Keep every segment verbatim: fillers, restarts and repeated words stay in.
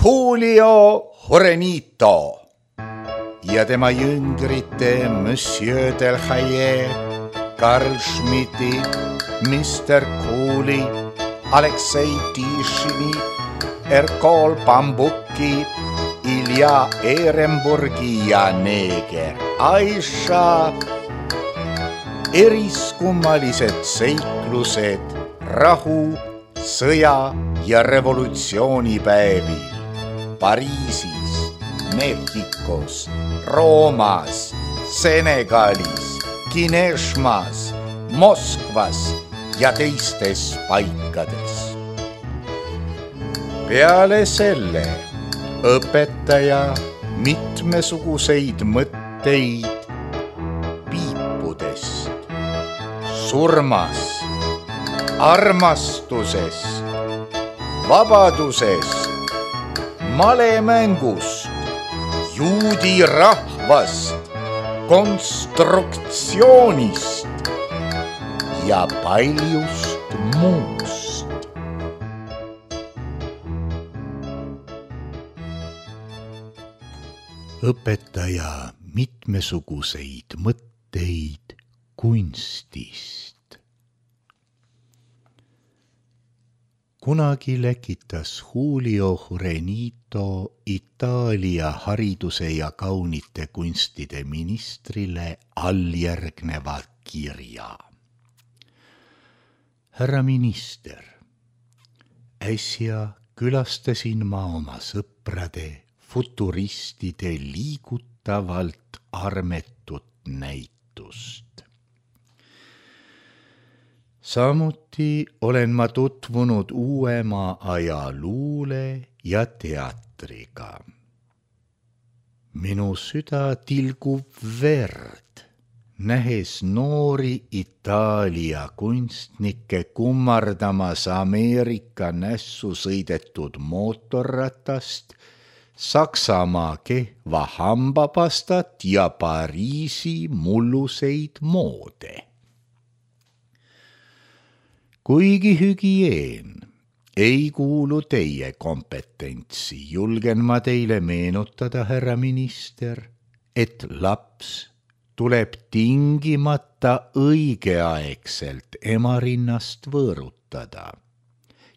Julio Jurenito ja tema jüngrite Monsieur Delhaye, Karl Schmidti, mister Kooli, Aleksei Tišini, Erkol Bambuki, Ilja Ehrenburgi ja neeger Aisha. Eriskummalised seiklused rahu, sõja ja revolutsioonipäevil Pariisis, Mehhikos, Roomas, Senegalis, Kineshmas, Moskvas ja teistes paikades. Peale selle õpetaja mitmesuguseid mõtteid piipudest, surmast, armastusest, vabadusest, malemängust, juudi rahvast, konstruktsioonist ja paljust muust. Õpetaja mitmesuguseid mõtteid kunstist. Kunagi läkitas Julio Jurenito Itaalia hariduse ja kaunite kunstide ministrile alljärgneva kirja. Härra minister, äsja külastasin ma oma sõprade futuristide liigutavalt armetut näitust. Samuti olen ma tutvunud uuema aja luule ja teatriga. Minu süda tilgub verd, nähes noori Itaalia kunstnikke kummardamas Ameerika nässu sõidetud mootorratast, Saksamaa kehva hambapastat ja Pariisi mulluseid moode. Kuigi hügieen ei kuulu teie kompetentsi, julgen ma teile meenutada, härra minister, et laps tuleb tingimata õigeaegselt ema rinnast võõrutada.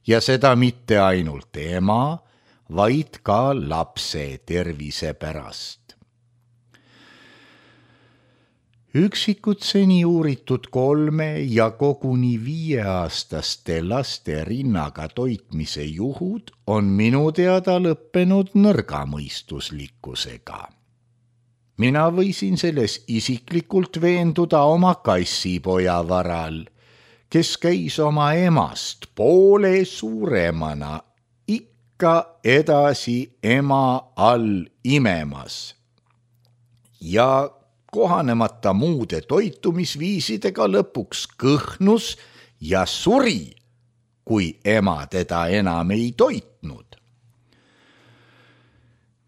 Ja seda mitte ainult ema, vaid ka lapse tervise pärast. Üksikud seni uuritud kolme ja koguni viieaastaste laste rinnaga toitmise juhud on minu teada lõppenud nõrgamõistuslikkusega. Mina võisin selles isiklikult veenduda oma kassipoja varal, kes käis oma emast poole suuremana ikka edasi ema all imemas ja kohanemata muude toitumisviisidega lõpuks kõhnus ja suri, kui ema teda enam ei toitnud.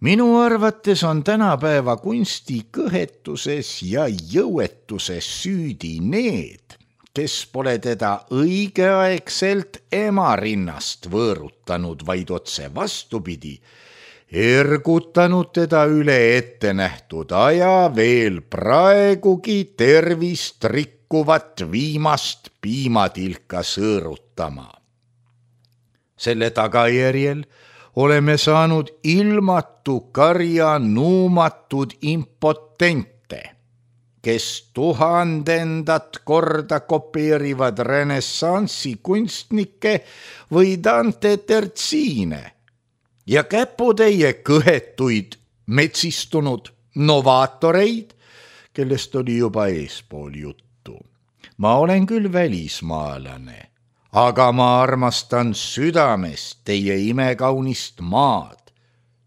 Minu arvates on tänapäeva kunsti kõhetuses ja jõuetuses süüdi need, kes pole teda õigeaegselt ema rinnast võõrutanud, vaid otse vastupidi, ergutanud teda üle ette nähtud aja veel praegugi tervist rikkuvat viimast piimatilka sõõrutama. Selle tagajärjel oleme saanud ilmatu karja nuumatud impotente, kes tuhandendat korda kopeerivad renessansi kunstnikke või Dante Tertsiine ja käputäie kõhetuid metsistunud novaatoreid, kellest oli juba eespool juttu. Ma olen küll välismaalane, aga ma armastan südamest teie imekaunist maad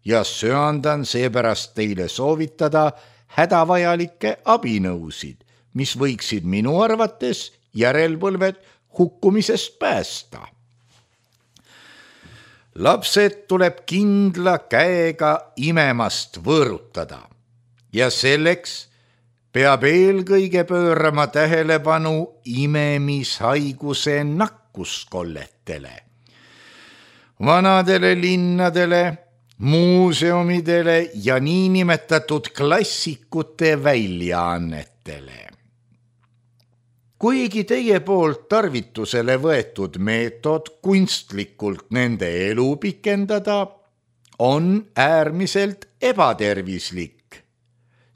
ja söandan seepärast teile soovitada hädavajalikke abinõusid, mis võiksid minu arvates järelpõlved hukkumisest päästa. Lapsed tuleb kindla käega imemast võõrutada ja selleks peab eelkõige pöörama tähelepanu imemishaiguse nakkuskolletele. Vanadele linnadele muuseumidele ja niinimetatud klassikute väljaannetele. Kuigi teie poolt tarvitusele võetud meetod kunstlikult nende elu pikendada on äärmiselt ebatervislik,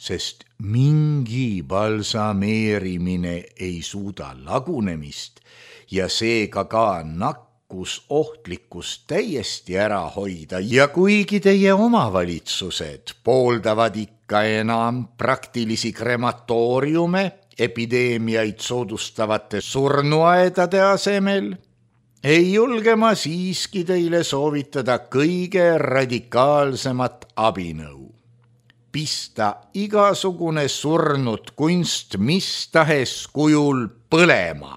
sest mingi balsameerimine ei suuda lagunemist ja seega ka nakkusohtlikkust täiesti ära hoida ja kuigi teie omavalitsused pooldavad ikka enam praktilisi krematooriume epideemiaid soodustavate surnuaedade asemel, ei julge ma siiski teile soovitada kõige radikaalsemat abinõu. Pista igasugune surnud kunst mis tahes kujul põlema,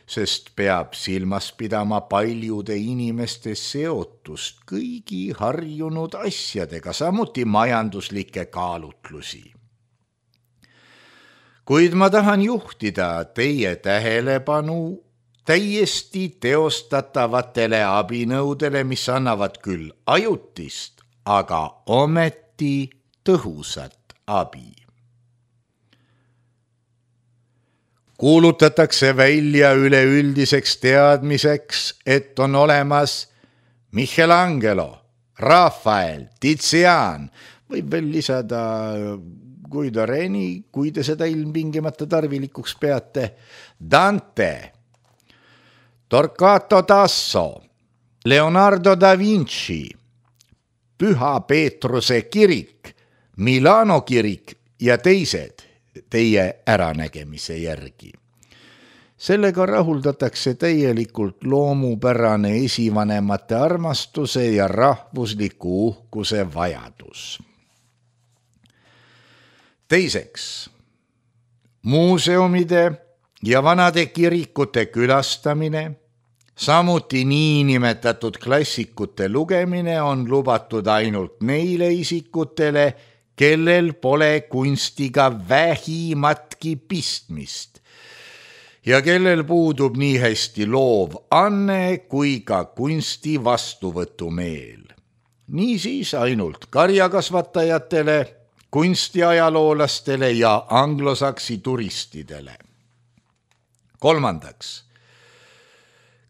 sest peab silmas pidama paljude inimeste seotust kõigi harjunud asjadega, samuti majanduslikke kaalutlusi. Kuid ma tahan juhtida teie tähelepanu täiesti teostatavatele abinõudele, mis annavad küll ajutist, aga ometi tõhusat abi. Kuulutatakse välja üleüldiseks teadmiseks, et on olemas Michelangelo, Rafael, Tizian, võib veel lisada Guido Reni, kui te seda ilmtingimata tarvilikuks peate, Dante, Torquato Tasso, Leonardo da Vinci, Püha Peetruse kirik, Milano kirik ja teised teie äranägemise järgi. Sellega rahuldatakse täielikult loomupärane esivanemate armastuse ja rahvusliku uhkuse vajadus. Teiseks, muuseumide ja vanade kirikute külastamine, samuti niinimetatud klassikute lugemine on lubatud ainult neile isikutele, kellel pole kunstiga vähimatki pistmist ja kellel puudub nii hästi loov anne kui ka kunsti vastuvõtumeel. Niisiis ainult karjakasvatajatele, kunstiajaloolastele ja anglosaksi turistidele. Kolmandaks,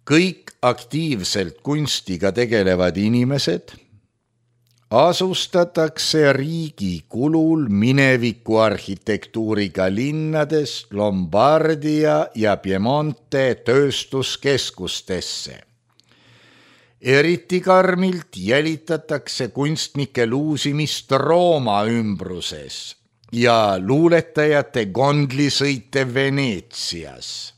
kõik aktiivselt kunstiga tegelevad inimesed asustatakse riigi kulul mineviku arhitektuuriga linnades Lombardia ja Piemonte tööstuskeskustesse. Eriti karmilt jälitatakse kunstnike luusimist Rooma ümbruses ja luuletajate gondlisõite Veneetsias.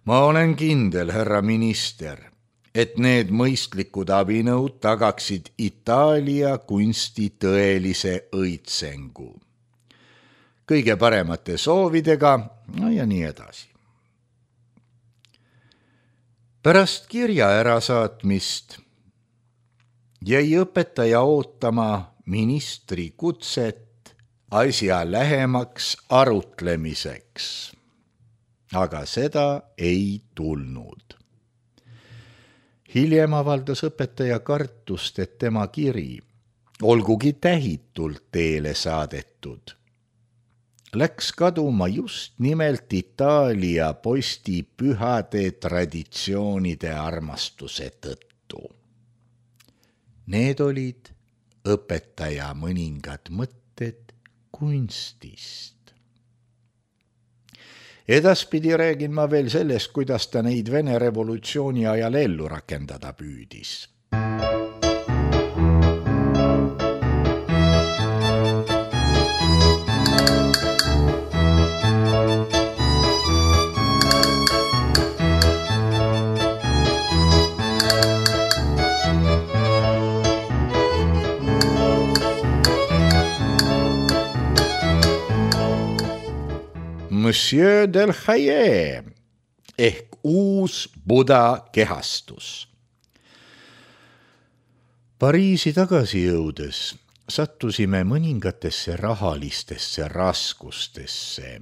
Ma olen kindel, härra minister, et need mõistlikud abinõud tagaksid Itaalia kunsti tõelise õitsengu. Kõige paremate soovidega, no ja nii edasi. Pärast kirja ärasaatmist jäi õpetaja ootama ministri kutset asja lähemaks arutlemiseks, aga seda ei tulnud. Hiljem avaldas õpetaja kartust, et tema kiri, olgugi tähitult teele saadetud, läks kaduma just nimelt Itaalia posti pühade traditsioonide armastuse tõttu. Need olid õpetaja mõningad mõtted kunstist. Edaspidi räägin ma veel sellest, kuidas ta neid Vene revolutsiooni ajal ellu rakendada püüdis. Monsieur del Haye ehk uus Buda kehastus. Pariisi tagasi jõudes sattusime mõningatesse rahalistesse raskustesse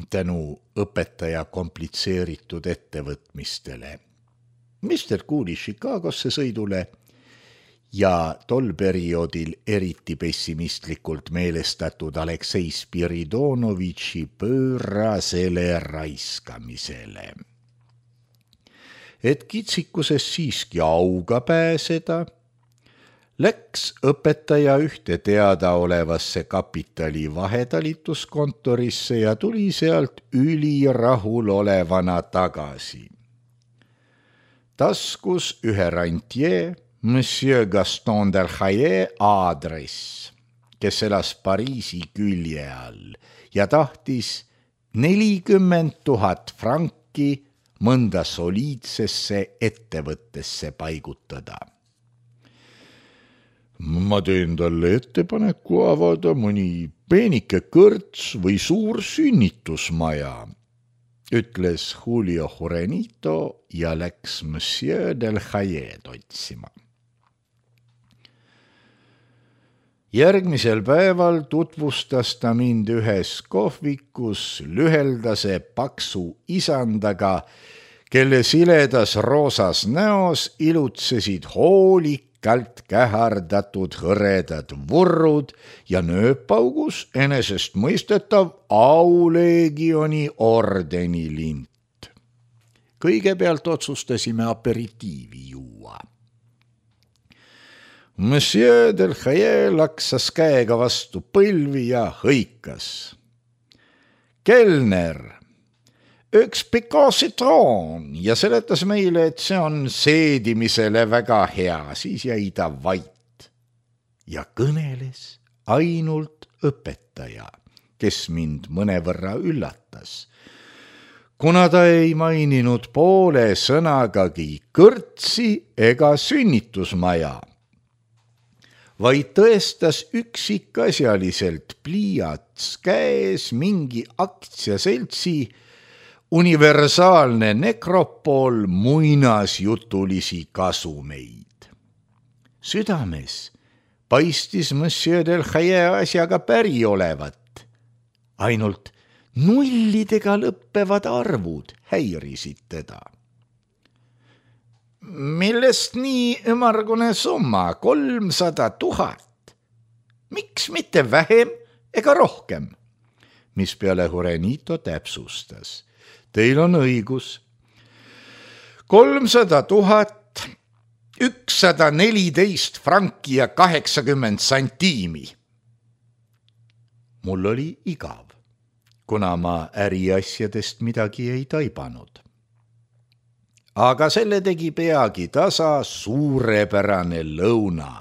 tänu õpetaja komplitseeritud ettevõtmistele. mister Cooley Chicagosse sõidule ja tol perioodil eriti pessimistlikult meelestatud Aleksei Spiridonovitši pöörasele raiskamisele. Et kitsikuses siiski auga pääseda, läks õpetaja ühte teadaolevasse kapitali vahetalituskontorisse ja tuli sealt ülirahul olevana tagasi. Taskus ühe rantjee, Monsieur Gaston Delhaye aadress, kes elas Pariisi külje all ja tahtis nelikümmend tuhat franki mõnda soliidsesse ettevõttesse paigutada. Ma teen talle ettepaneku avada mõni peenike kõrts või suur sünnitusmaja, ütles Julio Jurenito ja läks Monsieur Delhayed otsima. Järgmisel päeval tutvustas ta mind ühes kohvikus lüheldase paksu isandaga, kelle siledas roosas näos ilutsesid hoolikalt kähardatud hõredad vurrud ja nööpaugus enesest mõistetav auleegioni ordeni lint. Kõigepealt otsustasime aperitiivi juua. Monsieur Delhaye laksas käega vastu põlvi ja hõikas. Kelner, üks Picot citron ja seletas meile, et see on seedimisele väga hea, siis jäi ta vait. Ja kõneles ainult õpetaja, kes mind mõnevõrra üllatas, kuna ta ei maininud poole sõnagagi kõrtsi ega sünnitusmaja, vaid tõestas üksikasjaliselt pliiats käes mingi aktsiaseltsi universaalne nekropool muinasjutulisi kasumeid. Südames paistis Monsieur Delhaye asjaga päri olevat, ainult nullidega lõppevad arvud häirisid teda. Millest nii ümmargune summa, kolmsada tuhat? Miks mitte vähem ega rohkem? Mis peale Jurenito täpsustas. Teil on õigus. kolmsada tuhat, ükssada neliteist franki ja kaheksakümmend santiimi. Mul oli igav, kuna ma äriasjadest midagi ei taibanud. Aga selle tegi peagi tasa suurepärane lõuna,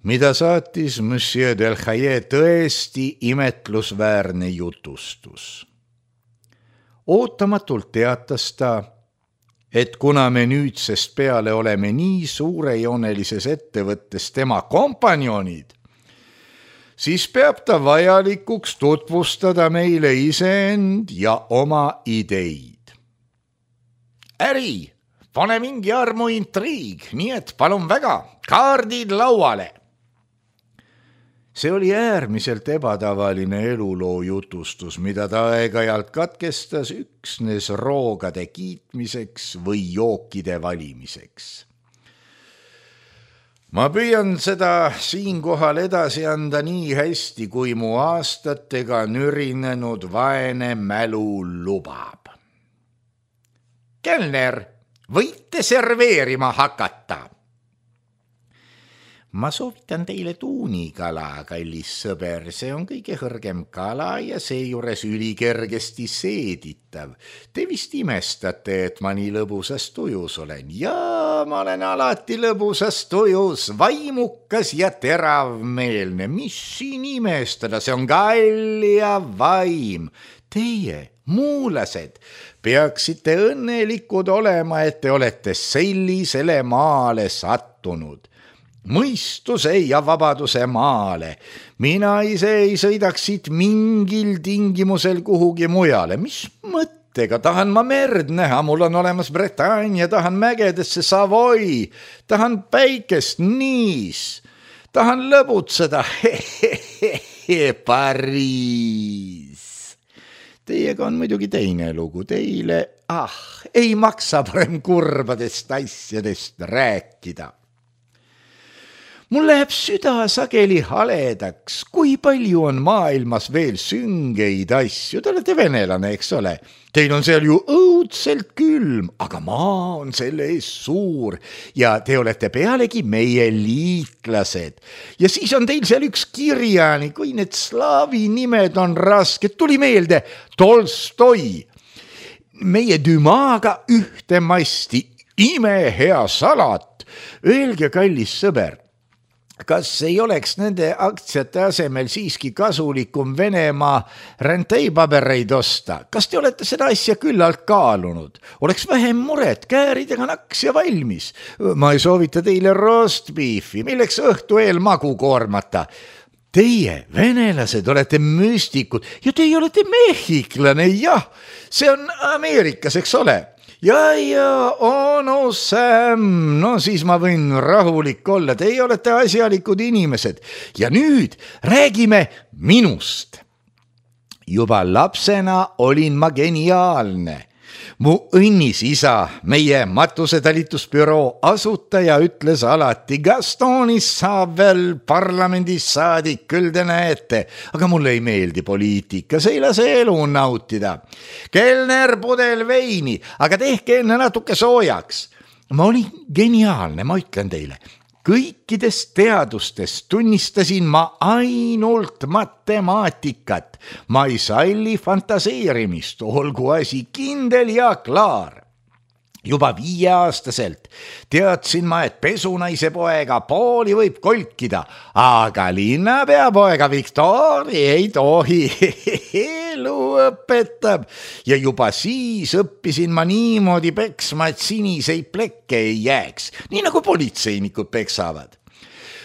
mida saatis Monsieur Delhaye tõesti imetlusväärne jutustus. Ootamatult teatas ta, et kuna me nüüdsest peale oleme nii suurejoonelises ettevõttes tema kompanjonid, siis peab ta vajalikuks tutvustada meile iseend ja oma ideid. Äri, pane mingi armu intriig, nii et palun väga, kaardid lauale. See oli äärmiselt ebatavaline eluloo jutustus, mida ta aeg-ajalt katkestas üksnes roogade kiitmiseks või jookide valimiseks. Ma püüan seda siinkohal edasi anda nii hästi, kui mu aastatega nürinenud vaene mälu lubab. Kelner, võite serveerima hakata. Ma soovitan teile tuunikala, kallis sõber, see on kõige kõrgem kala ja seejuures ülikergesti seeditav. Te vist imestate, et ma nii lõbusas tujus olen. Jaa, ma olen alati lõbusas tujus, vaimukas ja teravmeelne. Mis siin imestada, see on kall ja vaim. Teie, muulased, peaksite õnnelikud olema, et te olete sellisele maale sattunud. Mõistuse ja vabaduse maale. Mina ise ei sõidaks siit mingil tingimusel kuhugi mujale. Mis mõttega? Tahan ma merd näha, mul on olemas Bretagne, tahan mägedesse Savoy, tahan päikest Niis, tahan lõbutseda Pariis. Teiega on muidugi teine lugu, teile, ah, ei maksa parem kurbadest asjadest rääkida. mul läheb süda sageli haledaks, kui palju on maailmas veel süngeid asju. Te olete venelane, eks ole? Teil on seal ju õudselt külm, aga maa on selle ees suur ja te olete pealegi meie liitlased. Ja siis on teil seal üks kirjanik, kui need slaavi nimed on rasked. Tuli meelde Tolstoi. Meie Dümaga ühte masti, imehea salat. Öelge, kallis sõber, kas ei oleks nende aktsiate asemel siiski kasulikum Venemaa renteipabereid osta? Kas te olete seda asja küllalt kaalunud? Oleks vähem muret, kääridega naks ja valmis. Ma ei soovita teile rostbeefi, milleks õhtu eel magu koormata. Teie, venelased, olete müstikud ja teie olete mehhiklane, jah. See on Ameerikas, eks ole? Ja, ja, oh no Sam, no siis ma võin rahulik olla, teie olete asjalikud inimesed. Ja nüüd räägime minust. Juba lapsena olin ma geniaalne. Mu õnnis isa, meie matusetalitusbüroo asutaja ütles alati, Gastonis saab veel parlamendis saadik, küll te näete, aga mulle ei meeldi poliitika, see ei lase elu nautida. Kelner, pudel veini, aga tehke enne natuke soojaks. Ma olin geniaalne, ma ütlen teile. Kõikidest teadustest tunnistasin ma ainult matemaatikat. Ma ei salli fantaseerimist, olgu asi kindel ja klaar. Juba viieaastaselt teadsin ma, et pesunaise poega pooli võib kolkida, aga linnapea poega Viktori ei tohi. Elu õpetab. Ja juba siis õppisin ma niimoodi peksma, et siniseid plekke ei jääks, nii nagu politseinikud peksavad.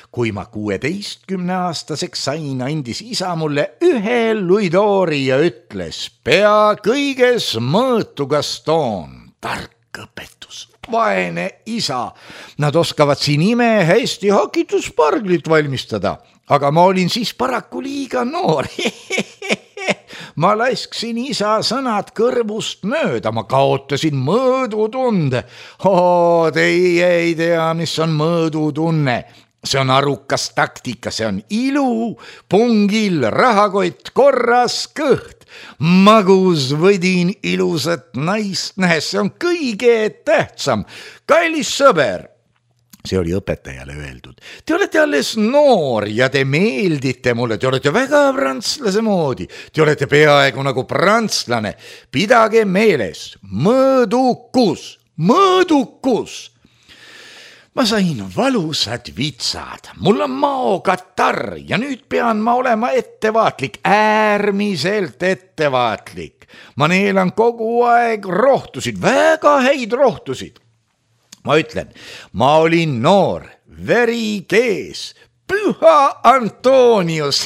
Kui ma kuueteistkümne aastaseks sain, andis isa mulle ühe luidoori ja ütles, pea kõiges mõõtu Gaston, tark õpetus, vaene isa. Nad oskavad siin ime hästi hakitusparglit valmistada, aga ma olin siis paraku liiga noor. Ma lasksin isa sõnad kõrvust mööda, ma kaotasin mõõdutunde. Oo, teie ei tea, mis on mõõdutunne. See on arukas taktika, see on ilu, pungil, rahakott, korras kõht. Magus võdin ilusat naist nähes, see on kõige tähtsam. Kallis sõber, see oli õpetajale öeldud. Te olete alles noor ja te meeldite mulle, te olete väga prantslase moodi. Te olete peaaegu nagu prantslane. Pidage meeles, mõõdukus, mõõdukus. Ma sain valusad vitsad, mul on maokatarr ja nüüd pean ma olema ettevaatlik, äärmiselt ettevaatlik. Ma neelan kogu aeg rohtusid, väga häid rohtusid. Ma ütlen, ma olin noor, veri kees, püha Antonius.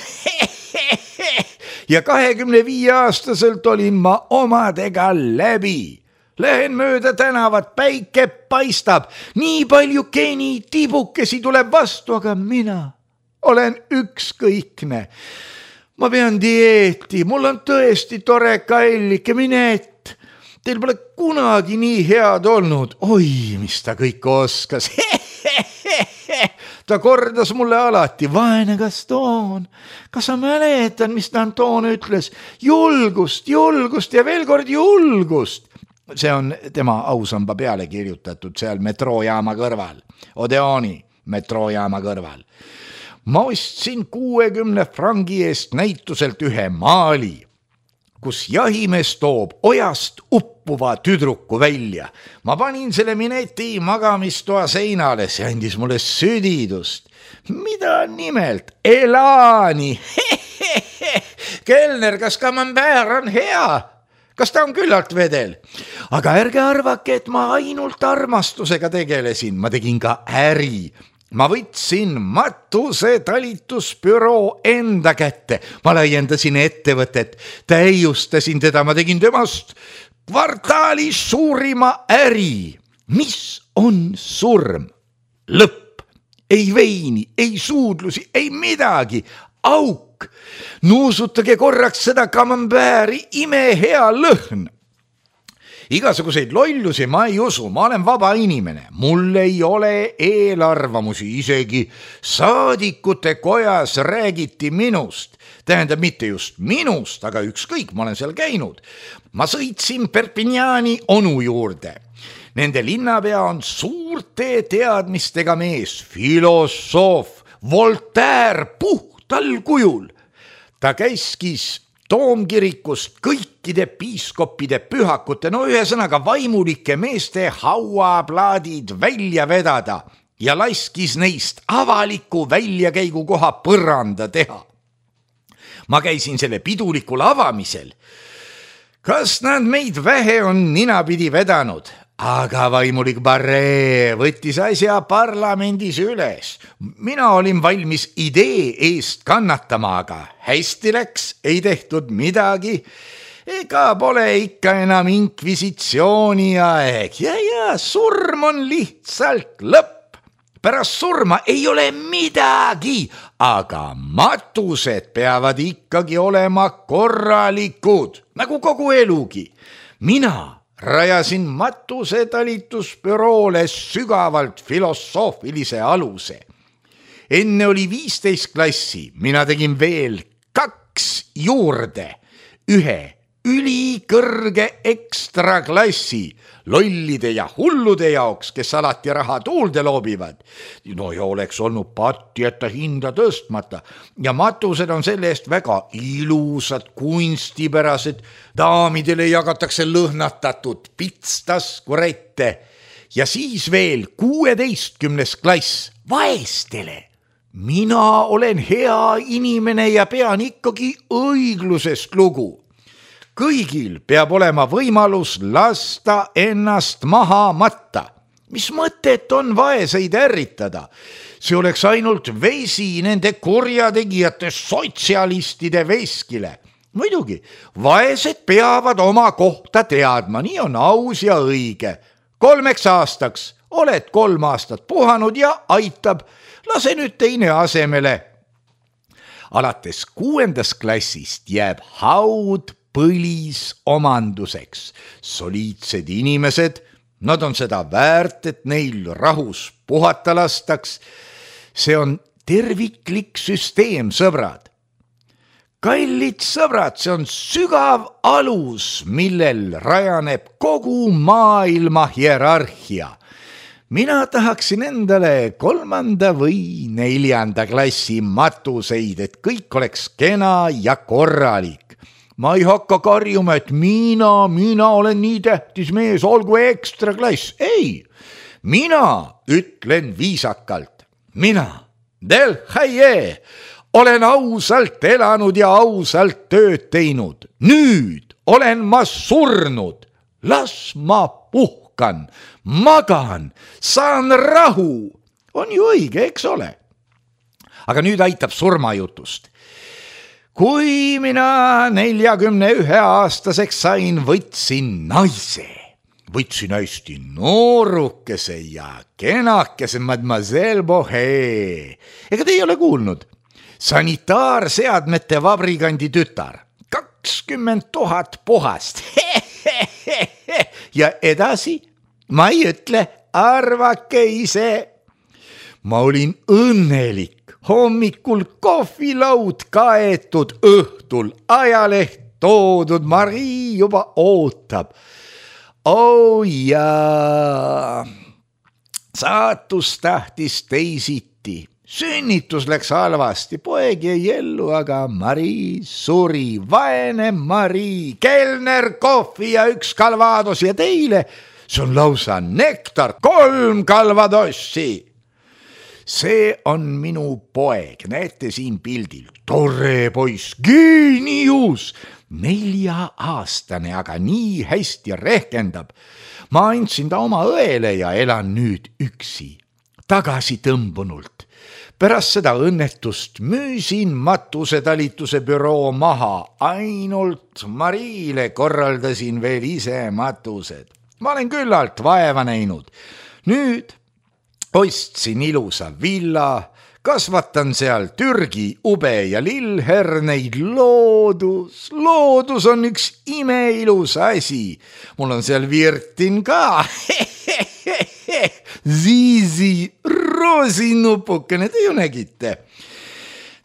Ja kahekümne viie aastaselt olin ma omadega läbi. Lähen mööda tänavat, päike paistab, nii palju geni tibukesi tuleb vastu, aga mina olen ükskõikne. Ma pean dieeti, mul on tõesti tore kallike, mine et. Teil pole kunagi nii head olnud. Oi, mis ta kõik oskas. Ta kordas mulle alati, vaene Gaston, kas sa mäletan, mis ta Anton ütles? Julgust, julgust ja veel kord julgust. See on tema ausamba peale kirjutatud seal metroojaama kõrval, Odeoni metroojaama kõrval. Ma ostsin kuuekümne frangi eest näituselt ühe maali, kus jahimees toob ojast uppuva tüdruku välja. Ma panin selle mineti magamistoa seinale, see andis mulle südidust. Mida nimelt? Elani! Kelner, kas Camembert on hea? Kas ta on küllalt vedel? Aga ärge arvake, et ma ainult armastusega tegelesin. Ma tegin ka äri. Ma võtsin matuse talitusbüroo enda kätte. Ma laiendasin ettevõtet, täiustasin teda. Ma tegin temast kvartaali suurima äri. Mis on surm? Lõpp. Ei veini, ei suudlusi, ei midagi. Auk. Nuusutage korraks seda Camembert'i, ime hea lõhn. igasuguseid lollusi ma ei usu, ma olen vaba inimene, mul ei ole eelarvamusi, isegi saadikute kojas räägiti minust. Tähendab mitte just minust, aga ükskõik, ma olen seal käinud. Ma sõitsin Perpignani onu juurde. Nende linnapea on suurte teadmistega mees, filosoof, Voltaire puhtal kujul. Ta käiskis toomkirikust kõikide piiskoppide pühakute, no ühesõnaga vaimulike meeste hauaplaadid välja vedada ja laskis neist avaliku väljakäigukoha põranda teha. Ma käisin selle pidulikul avamisel. Kas nad meid vähe on ninapidi vedanud? Aga vaimulik Barre võttis asja parlamendis üles. Mina olin valmis idee eest kannatama, aga hästi läks, ei tehtud midagi. Ega pole ikka enam inkvisitsiooni aeg. Ja, ja, surm on lihtsalt lõpp. Pärast surma ei ole midagi, aga matused peavad ikkagi olema korralikud, nagu kogu elugi. Mina rajasin matuse talitusbüroole sügavalt filosoofilise aluse. Enne oli viisteist klassi, mina tegin veel kaks juurde, ühe ülikõrge ekstra klassi lollide ja hullude jaoks, kes alati raha tuulde loobivad. No ja oleks olnud patti, et ta hinda tõstmata. Ja matused on selle eest väga ilusad, kunstipärased. Daamidele jagatakse lõhnatatud pitstaskurette. Ja siis veel kuueteistkümnes klass vaestele. Mina olen hea inimene ja pean ikkagi õiglusest lugu. Kõigil peab olema võimalus lasta ennast maha matta. Mis mõtet on vaeseid ärritada? See oleks ainult vesi nende kurjategijate sotsialistide veskile. Muidugi, vaesed peavad oma kohta teadma, nii on aus ja õige. Kolmeks aastaks oled kolm aastat puhanud ja aitab. Lase nüüd teine asemele. Alates kuuendas klassist jääb haud põlis omanduseks. Soliidsed inimesed, nad on seda väärt, et neil rahus puhata lastaks. See on terviklik süsteem, sõbrad. Kallid sõbrad, see on sügav alus, millel rajaneb kogu maailma hierarhia. Mina tahaksin endale kolmanda või neljanda klassi matuseid, et kõik oleks kena ja korralik. Ma ei hakka karjuma, et mina, mina olen nii tähtis mees, olgu ekstra klass. Ei, mina ütlen viisakalt. Mina, Del Haie, olen ausalt elanud ja ausalt tööd teinud. Nüüd olen ma surnud. Las ma puhkan, magan, saan rahu. On ju õige, eks ole? Aga nüüd aitab surmajutust. Kui mina neljakümne ühe aastaseks sain, võtsin naise. Võtsin hästi noorukese ja kenakese Mademoiselle Bohé. Ega te ei ole kuulnud? Sanitaarseadmete vabrikandi tütar. kakskümmend tuhat puhast. Ja edasi? Ma ei ütle, arvake ise. Ma olin õnnelik. Hommikul kohvilaud kaetud, õhtul ajaleht toodud, Marii juba ootab. Oh jaa, saatus tahtis teisiti. Sünnitus läks halvasti, poeg jäi ellu, aga Marii suri. Vaene Marii, kelner, kohvi ja üks kalvados ja teile, see on lausa nektar, kolm kalvadossi. See on minu poeg, näete siin pildil. Tore poiss, geenius, nelja-aastane, aga nii hästi rehkendab. Ma andsin ta oma õele ja elan nüüd üksi, tagasi tõmbunult. Pärast seda õnnetust müüsin matusetalituse büroo maha, ainult Mariile korraldasin veel ise matused. Ma olen küllalt vaeva näinud. Nüüd ostsin ilusa villa, kasvatan seal Türgi ube ja lillherneid. Loodus, loodus on üks imeilus asi. Mul on seal virtin ka. Zizi, roosinupukene, te ju nägite.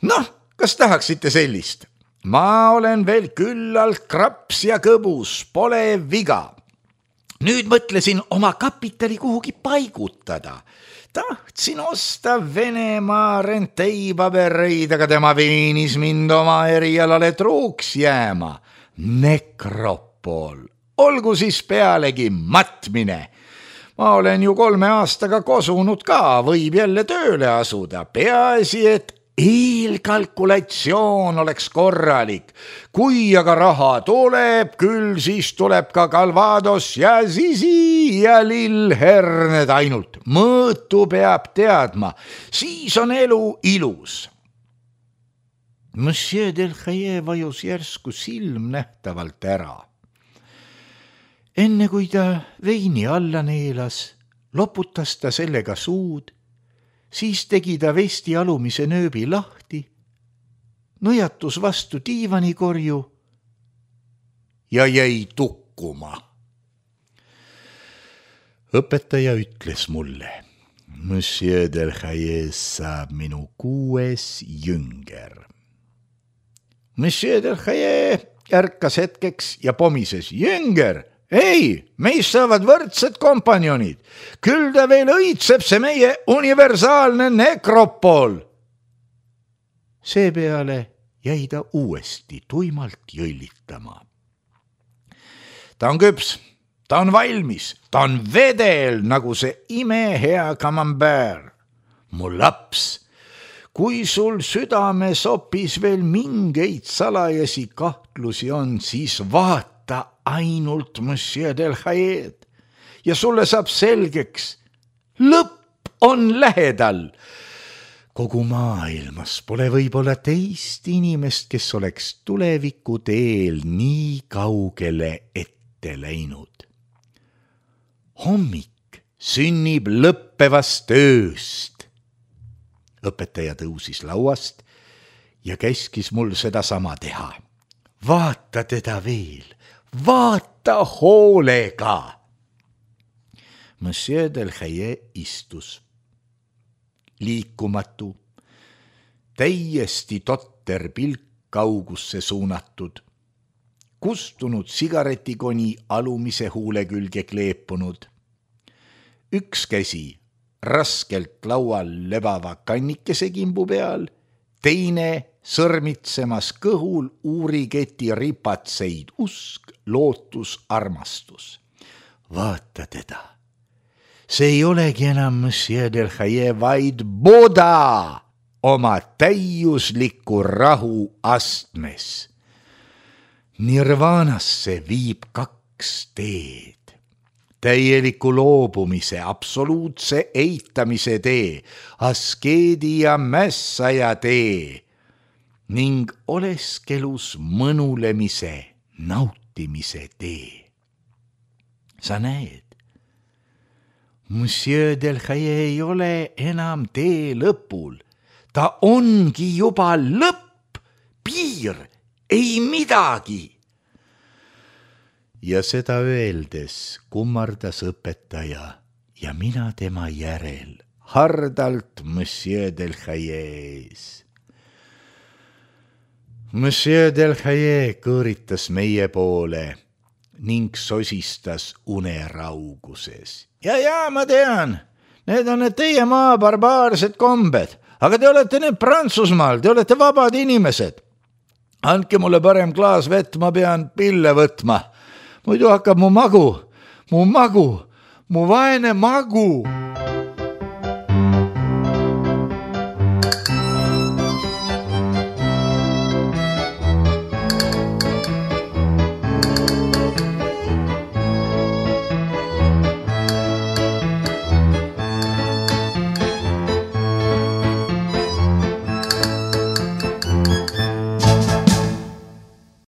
Noh, kas tahaksite sellist? Ma olen veel küllalt kraps ja kõbus, pole viga. Nüüd mõtlesin oma kapitali kuhugi paigutada. Tahtsin osta Venemaa renteipabereid, aga tema veenis mind oma erialale truuks jääma. Nekropol. Olgu siis pealegi matmine. Ma olen ju kolme aastaga kosunud ka, võib jälle tööle asuda. Peaasi, et eelkalkulatsioon oleks korralik. Kui aga raha tuleb, küll siis tuleb ka Calvados ja Zizi ja lillherned ainult. Mõõtu peab teadma, siis on elu ilus. Monsieur Delhaye vajus järsku silm nähtavalt ära. Enne kui ta veini alla neelas, loputas ta sellega suud, siis tegi ta vesti alumise nööbi lahti, nõjatus vastu diivanikorju ja jäi tukkuma. Õpetaja ütles mulle, Monsieur Delhaye saab minu kuues jünger. Monsieur Delhaye ärkas hetkeks ja pomises, jünger, ei, meist saavad võrdsed kompanjonid. Küll ta veel õitseb see meie universaalne nekropol. Seepeale jäi ta uuesti tuimalt jõllitama. Ta on küps, ta on valmis, ta on vedel nagu see imehea camembert. Mu laps, kui sul südames hoopis veel mingeid salajasi kahtlusi on, siis vaata ainult Monsieur Delhayed ja sulle saab selgeks, lõpp on lähedal. Kogu maailmas pole võib-olla teist inimest, kes oleks tuleviku teel nii kaugele ette läinud. Hommik sünnib lõppevast ööst. Õpetaja tõusis lauast ja käskis mul seda sama teha. Vaata teda veel. Vaata hoolega. Monsieur Delhaye istus. Liikumatu, täiesti totter pilk kaugusse suunatud, kustunud sigaretikoni alumise huule külge kleepunud. Üks käsi raskelt laual lebava kannikese kimbu peal, teine sõrmitsemas kõhul uuriketi ripatseid usk, lootus, armastus. Vaata teda. See ei olegi enam Monsieur Delhaye, vaid Buddha oma täiusliku rahu astmes. Nirvanasse viib kaks teed. Täieliku loobumise, absoluutse eitamise tee, askeedi ja mässaja tee ning oleskelus mõnulemise, nautimise tee. Sa näed, Monsieur Delhaye ei ole enam tee lõpul. Ta ongi juba lõpp, piir, ei midagi. Ja seda öeldes kummardas õpetaja ja mina tema järel, hardalt Monsieur Delhaye ees. Monsieur Delhaye kõõritas meie poole ning sosistas unerauguses. Ja, ja, ma tean, need on need teie maa barbaarsed kombed, aga te olete need Prantsusmaal, te olete vabad inimesed. Andke mulle parem klaas vett, ma pean pille võtma. Muidu hakkab mu magu, mu magu, mu vaene magu.